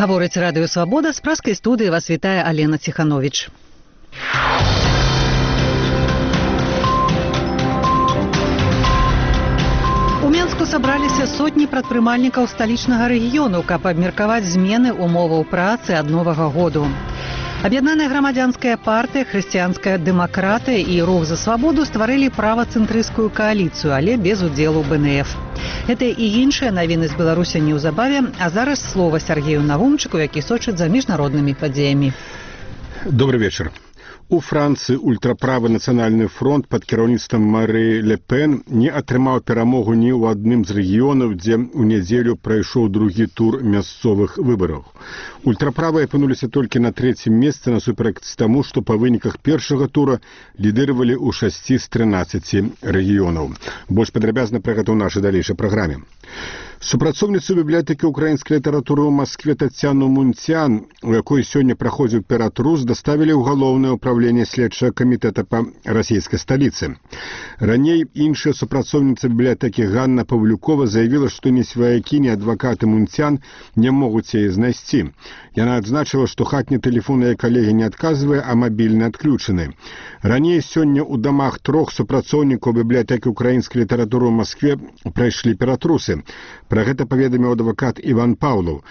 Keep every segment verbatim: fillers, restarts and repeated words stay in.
Гаворыць радыё «Свабода», з праскай студыі вас вітае Алена Ціхановіч. У Менску сабраліся сотні прадпрымальнікаў сталічнага рэгіёну, каб абмеркаваць змены умоваў працы ад новага году. Аб'яднаная грамадзянская партыя, хрысціянская дэмакратыя і рух за свабоду стварылі правацэнтрысцкую кааліцыю, але без удзелу бэ эн эф. Гэта і іншыя навіны з Беларусі неўзабаве, а зараз слова Сергею Навумчыку, які сочыць за міжнароднымі падзеямі. Добрый вечер. У Францыі ультраправы нацыянальны фронт пад кіраўніцтвам Мары Ле Пен не атрымаў перамогу ні ў адным з рэгіёнаў, дзе ў нядзелю прайшоў другі тур мясцовых выбараў. Ультраправыя апынуліся толькі на трэцім месцы насуперак таму, што па выніках першага тура лідыравалі ў шасці з трынаццаці рэгіёнаў. Больш падрабязна пра гэта ў нашай далейшай праграме. Супрацоўніцу бібліятэкі ўкраінскай літаратуры ў Маскве Тацяну Мунцян, у якой сёння праходзіў ператрус, даставілі ў галоўнае ўправленне следчага камітэта па расійскай сталіцы. Раней іншая супрацоўніца бібліятэкі Ганна Павлюкова заявіла, што ні сваякі, ні адвакаты Мунцян не могуць яе знайсці. Яна адзначыла, што хатні тэлефон яе калегі не адказвае, а мабільны адключаны. Раней сёння ў дамах трох супрацоўнікаў бібліятэкі ўкраінскай літаратуры ў Маскве прайшлі ператрусы. Пра гэта паведаміў адвакат Іван Паўлаў.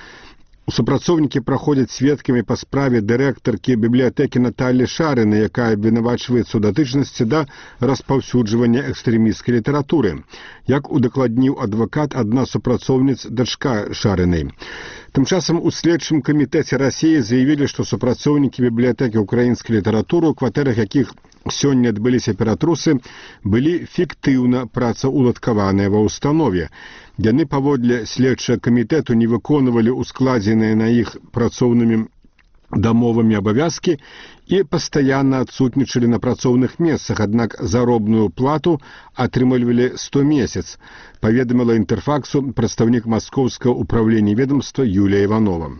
Супрацоўнікі праходзяць сведкамі па справе дырэктаркі бібліятэкі Наталі Шарыны, якая абвінавачваецца ў датычнасці да распаўсюджвання экстрэмісцкай літаратуры. Як удакладніў адвакат, адна супрацоўніц дачка Шарынай. Тым часам у следчым камітэце Расіі заявілі, што супрацоўнікі бібліятэкі ўкраінскай літаратуры, у кватэрах якіх сёння адбыліся ператрусы, былі фіктыўна працаўладкаваныя ва ўстанове. Яны паводле следчага камітэту не выконвалі ускладзеныя на іх працоўнымі дамовамі абавязкі і пастаянна адсутнічалі на працоўных месцах, аднак заробную плату атрымлівалі сто месяц, паведаміла Інтэрфаксу прадстаўнік маскоўскага ўправлення ведомства Юлія Іванова.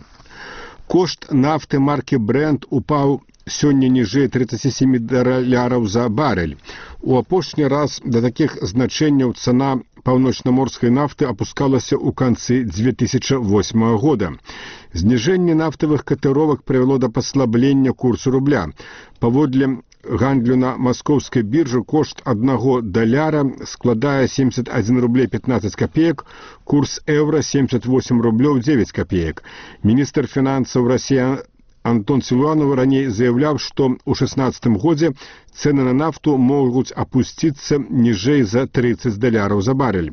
Кошт нафты маркі Brent упаў сёння ніжэй тридцати семи даляраў за барель. У апошні раз да такіх значэнняў цана паўночнаморскай нафты апускалася ў канцы две тысячи восьмага года. Зніжэнне нафтавых катэровак прывяло да паслаблення курсу рубля. Паводле гандлю на маскоўскай біржы кошт аднаго даляра складае семьдесят один рублей пятнадцать копеек, курс еўра семьдесят восемь рублёў девять копеек. Міністр фінансаў Расіі Антон Силуанов раней заявляў, што ў шестнадцатым годзе цэны на нафту могуць апусціцца ніжэй за тридцать даляраў за барель.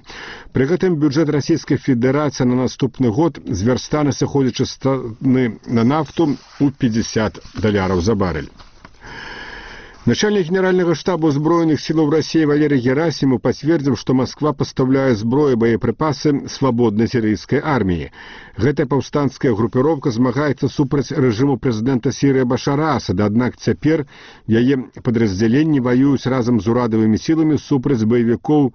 Пры гэтым бюджэт Расійскай Федэрацыі на наступны год звярстане сыходзячы з цаны на нафту ў пятьдесят даляраў за барель. Начальник Генерального штаба Збройных силов России Валерий Герасимов подтвердил, что Москва поставляет зброю и боеприпасы свободной сирийской армии. Гэтая паўстанцкая группировка змагаецца супраць режиму президента Сирии Башара Асада, аднак цяпер яе падраздзяленні воююць разом з урадавымі сіламі супраць баевікоў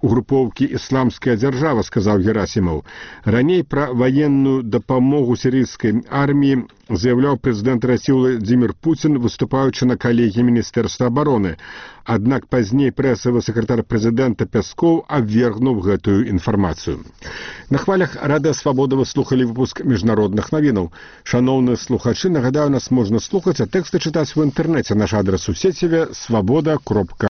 групоўкі «Ісламская дзяржава», сказаў Герасимов. Раней пра ваенную дапамогу сірыйскай арміі заявляў прэзідэнт Расіі Владзімір Пуцін, выступаючы на калегіі Міністэрства абароны. Аднак пазней прэсавы сакратар прэзідэнта Пяскоў абвергнуў гэтую інфармацыю. На хвалях Радыё Свабода вы слухалі выпуск міжнародных навінаў. Шаноўныя слухачы, нагадаю, нас можна слухаць, а тэксты чытаць у інтэрнэце. Наш адрас у сеціве свабода кропка